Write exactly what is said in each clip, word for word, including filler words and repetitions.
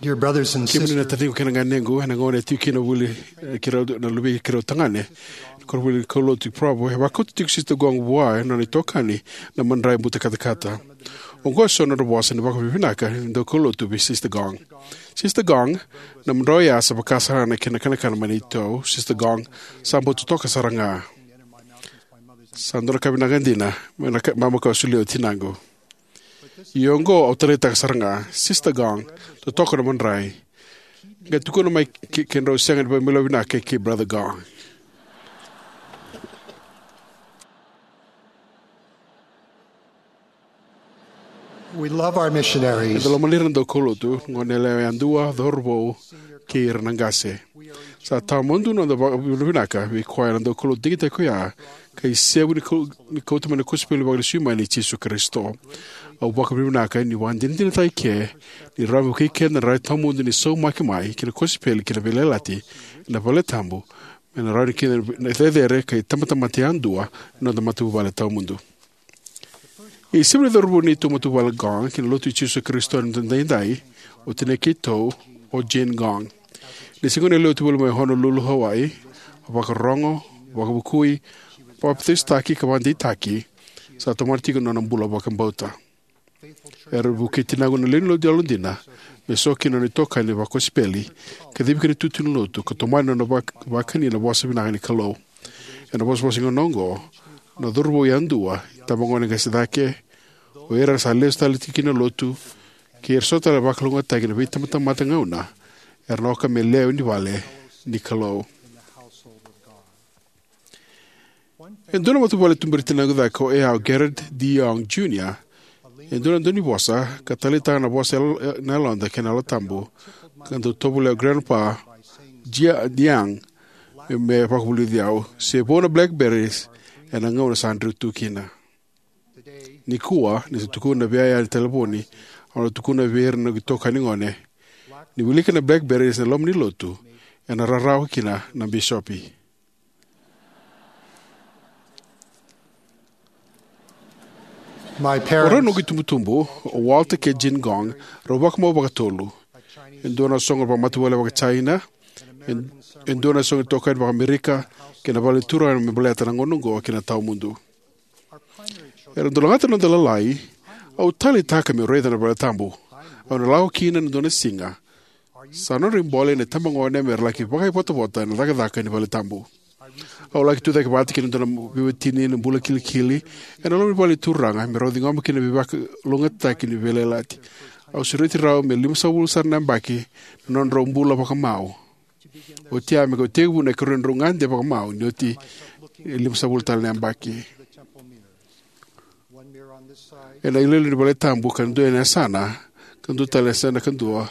Dear brothers and Kemuni na sisters, taciqu kei na ganequ, ena gauna e tiko kina voli, eh, keirau na luvei keirau tagane, koronivuli ni kaulotu i Provo, e vakauta tiko Sister Gong vua e nona itokani na madrai buta katakata. Oqo e so na nodra vosa ni vakavinavinaka ni daukaulotu vei Sister Gong. Sister Gong, na madrai oya sa vaka sara ga na kena kanakana mai na itou. Sister Gong, sa bau totoka sara ga. Sa dua na ka vinaka dina, mai na ka, mama ka solia o tinaqu. Ia oqo au taleitaka sara ga, Sister Gong, totoka na madrai. Qai tukuna mai ke, kedrau sega ni vakamilovinaka kei, kei Brother Gong. We love our missionaries. Eda lomani ira na daukaulotu, gone yalewa yadua, cauravou, kei ira na qase. Sa tawamudu na noda vakavinavinaka vei koya na daukaulotu digitaki koya, ka isevu ni kau-, ni kauta mai na kosipeli vakalesui mai nei Jisu Karisito. Au vakavinavinaka niu vakadinadinataka eke ni rawa me vukei keda na rai tawamudu ni saumaki mai ki na kosipeli kei na veiyalayalati ena valetabu, me na rawa ni keda na cecere ka itabatamata yadua na noda matavuvale tawamudu. Isevu ni cauravou ni neitou matavuvale Gong ki na Lotu i Jisu Karisito ni Yalododonu Edaidai, o tinai keitou, o Jane Gong. Ni se gone yalewa tu voli mai Honolulu, Hawaii, a vakarogo, vakavukui, papitaisotaki ka vakadeitaki, sa tomana tiko na nona bula vakabauta. Era vukei tinaqu na lewe ni lotu yalodina me so kina na nona itokani vakosipeli, kacivi kina itutu ni lotu, ka tomana na nona vak-, vakani na vosa vinaka ni Kalou. Ena vosavosa ni gauna oqo, na cauravou yadua, itabagone qase cake, o ira sa lesu tale tiko ki na lotu, kei ira so tale vakalougatataki ena veitabatamata gauna, era na oka me lewe ni vale ni Kalou. E dua na matavuvale tuberi tinaqu cake o yaya o Gerald D. Young Junior, e dua na daunivosa, ka taleitaka na vosa yal-, na yaloda kei na Yalo Tabu, ka dau tovolea o Grandpa Jia-, Young, me, me vakavulici au, se vou na blackberries, ena gauna sa dreu tu kina. Nikua, ni sa tukuna vei yaya ena talevoni, au na tukuna vei ira na noqu itokani gone, ni wilika na blackberries ena loma ni lotu, ena rarawa kina na bisopi. My parents. O rau na noqu itubutubu, o Walter kei Jane Gong, rau vakamau vakatolu. E dua na soqo vakamatavuvale vakaJaina, e, e dua na soqo itokani vakaAmerika, kei na vale ni Turaga me baleta na gauna oqo kei na tawamudu. Era dau lagata na noda lalai, au taleitaka meu raica na vale tabu. Au na lako kina ena dua na siga. Sa nodra ibole na itabagone mera laki vakaivotavota ena cakacaka ni vale tabu. Au laki tucake vata kei na dua na veiwatini ena bula kilikili ena loma ni vale ni Turaga, me rau ciqoma kina na veivakalougatataki ni veiyalayalati. Au sureti rau me limasagavulu sara na yabaki na nodrau bula vakamau. Oti ya me kau tekivu na ikarua ni nodrau gade vakamau, ni oti e limasagavulu tale na yabaki. Ena iloilo ni vale tabu ka dua ena yasana, ka dua tale ena yasana ka dua.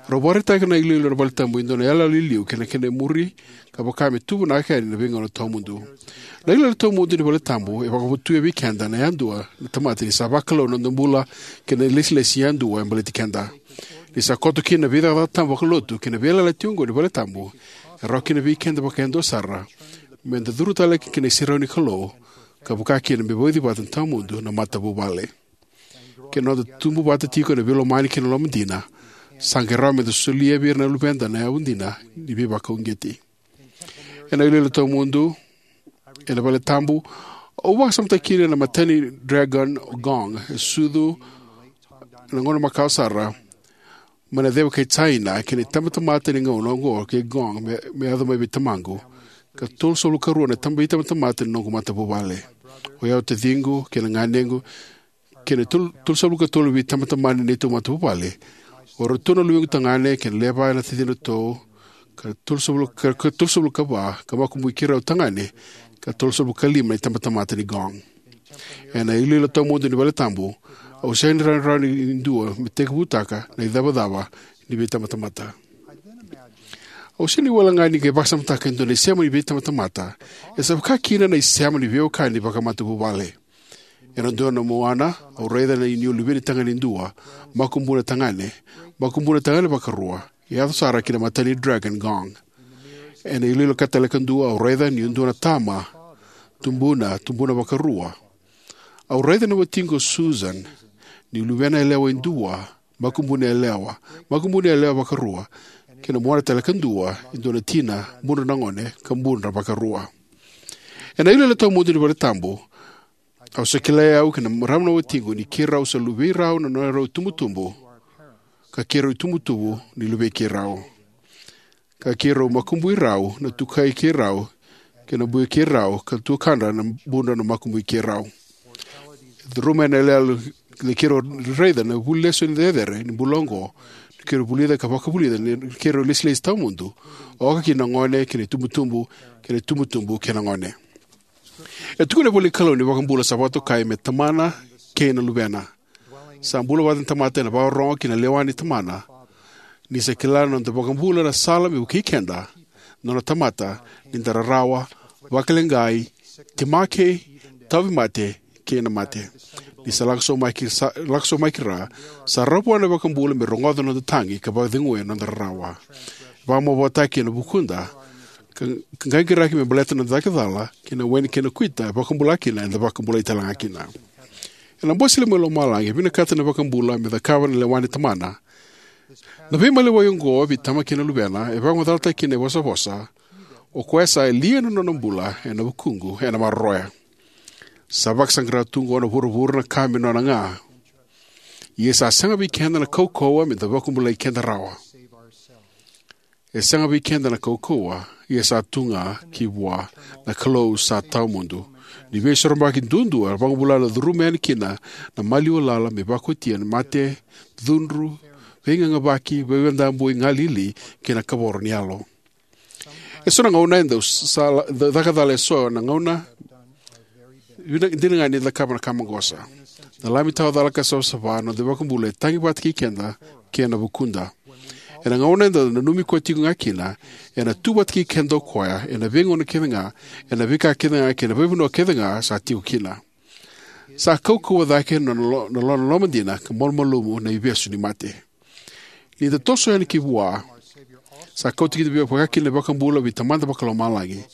Rau vakaraitaka na iloilo ni vale tabu e dua na iyaloyalo i liu kei na kena imuri, ka vaka me tu vinaka yani ena veigauna tawamudu. Na iloilo tawamudu ni vale tabu e vakavotuya vei keda na yadua na tamata ni sa vakalou na noda bula kei na ilesilesi yadua e baleti keda. Ni sa koto kina na veicakacaka tabu vakalotu kei na veiyalayalati oqo ni vale tabu, e rawa kina vei keda vakayadua sara meda curu tale ki na iserau ni Kalou, ka vaka kina me vauci vata tawamudu na matavuvale. Kei na noda tubu vata tiko ena veilomani kei na loma dina, sa qai rawa meda solia vei ira na luveda na yavu dina ni veivakauqeti. Ena iloilo tawamudu ena vale tabu, au vakasamataka kina na imatai ni Dragon o Gong, e sucu ena gauna makawa sara mai na ceva kei Jaina, kei na itabatamata ni gauna oqo kei Gong me, me yaco mai vei tamaqu, ka tolusagavulu ka rua na taba, itabatamata ni noqu matavuvale. O yau, taciqu kei na ganequ, kei na tolu, tolusagavulu ka tolu vei itabatamata ni neitou matavuvale, o iratou na luvequ tagane kei na lewe va na tacidratou, ka tolusagavulu ka, ka tolusagavulu ka va, ka makubui keirau tagane, ka tolusagavulu ka lima na itabatamata ni Gong. Ena iloilo tawamudu ni vale tabu, au sega ni rawarawa ni dua me tekivutaka na icavacava ni veitabatamata. Au sega ni wale ga ni qai vakasamataka e dua na isema ni veitabatamata, e sa vaka kina na isema ni veiwekani vakamatavuvale. Ena dua na muana, au raica na inuinui ni luveni tagane e dua, makubuna tagane, makubuna tagane vakarua, e yaco sara ki na imatai ni Dragon Gong. Ena iloilo ka tale ka dua, au raica niu dua na tama, tubuna, tubuna vakarua. Au raica na watiqu o Susan, niu luvena yalewa e dua, Makubuni yalewa, makubuni yalewa vakarua, kei na muana tale kadua, e dua na tina, budra na gone, ka budra vakarua. Ena ilo ena tawamudu ni valetabu, au sa kilai au kei na marama na watiqu ni keirau sa luvei rau na neirau itubutubu, ka keirau itubutubu ni luvei keirau. Ka keirau makubui rau na tukai keirau, kei na bui keirau, ka tuakadra na budra na makubui keirau. E curuma ena yaloyalo ni keirau raica na vuli lesu ni cecere ni bula oqo, ni keirau vulica ka vakavulica ni keirau lesilesi tawamudu, oka kina na gone, kei na itubutubu, kei na itubutubu, kei na gone. E tukuna na ivolanikalou ni iVakabula sa vakatokai me Tamana kei na Luvena. Sa bula vata na tamata ena vakarorogo ki na lewa ni Tamana. Ni sa kila na noda iVakabula na sala me vukei keda, nona tamata, ni da rarawa, vakaleqai, temaki, tauvimate, kei na mate. Ni sa lako sobu mai ki ra, sa rawa vua na iVakabula me rogoca na noda tagi ka vakaceguya na noda rarawa. Vakamavoataki ena vukuda, ka, ka qaqiraki me baleta na noda cakacala, kei na waini kei na kuita, e vakabula kina, eda vakabulai talega kina. Ena Bose i Lomalagi, e vinakata na iVakabula me cakava na lewa ni Tamana. Na veimaliwai oqo vei Tamana kei na Luvena, e vakamacalataki kina na ivosavosa, o koya sa yalia na nona bula, ena vukuqu, ena maroroya. Sa vakasaqara tu oqo na vuravura na ka me nona ga. Ia sa sega vei keda na kaukauwa me da vakabulai keda rawa. E sega vei keda na kaukauwa, ia sa tu ga ki vua na Kalou sa tawamudu. Ni veisoromaki duadua, vakabula na curuma yani kina, na maliwa lala me vakaotia na mate, cudru, veigagavaki, veiwadabui galili, kei na kavoro ni yalo. E so na gauna e dau sa, da caka cala e so na gauna, vina, dina ga ni cakava na ka maqosa. Na Lami tawa cala ka savasava, na noda iVakabula e tagi vata kei keda, kei na vukuda. Ena gauna eda nanumi koya tiko ga kina, ena tu vata kei keda o koya, ena veigauna kece ga, ena veika kece ga, kei na veivanua kece ga, sa tiko kina. Sa kaukauwa cake na lo-, na lo-, na loma dina, ka malumalumu na ivesu ni mate. Ni da toso yani ki vua, sa kauta kina vei, vaka kina na iVakabula vei Tamada Vakalomalagi.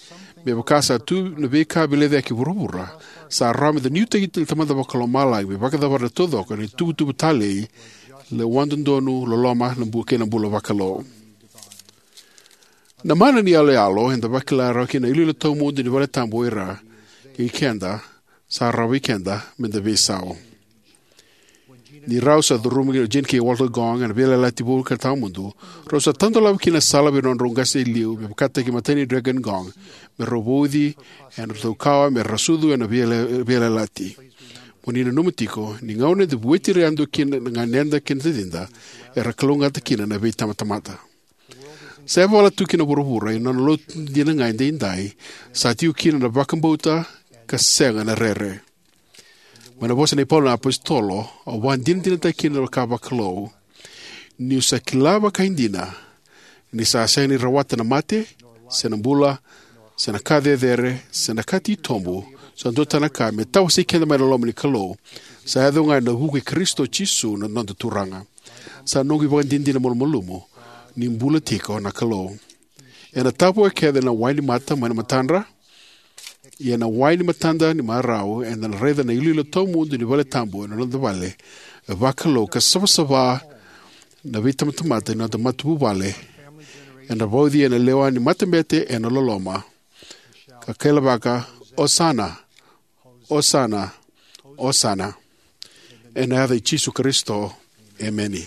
Me vaka sa tu na veika vilecayaki e vuravura, sa rawa me da nuitaki na Tamada Vakalomalagi, me vakacavara na taucoko, na ituvatuva talei, lewa dodonu, loloma, na bu-, kei na bula vakalou. Na mana ni yaloyalo, eda vakila rawa kina na iloilo tawamudu ni valetabu o ira, kei keda, sa rawa vei keda, me da veisau. Ni rau sa curuma o Jean kei Walter Gong, ena veiyalayalati vou ka tawamudu, rau sa tadolava kina na sala vei nodrau qase e liu, me vakataki matai ni Dragon Gong, me rau vauci, ena nodrau kawa, me ra sucu, ena veiyala-, veiyalayalati. Mo ni nanuma tiko, ni gauna eda vueti ira yadua kina na ganeda kei na tacida, era kalougata kina na veitamatamata. Sa yavala tu kina vuravura, ena nona lotu dina ga edaidai, sa tiko kina na vakabauta, ka sega na rere. Mai na vosa nei Paula na apositolo, au vakadinadinataka kina na ka vakalou. Niu sa kila vakaidina, ni sa sega ni rawata na mate, se na bula, se na ka cecere, se na ka titobu, sa dua tale na ka me tawasei keda mai na loma ni Kalou, sa yaco ga ena vuku i Karisito Jisu na noda Turaga. Sa noqu ivakadinadina malumalumu, ni bula tiko na Kalou. Ena tavoya kece na wai ni mata mai na matadra, ia na wai ni matada ni marau, eda na raica na iloilo tawamudu ni valetabu ena noda vale, e vakalou ka savasava na veitamatamata ni noda matavuvale, ena vauci ena lewa ni matabete ena loloma, ka kailavaka, Osana, Osana, Osana. Ena yaca i Jisu Karisito, emeni.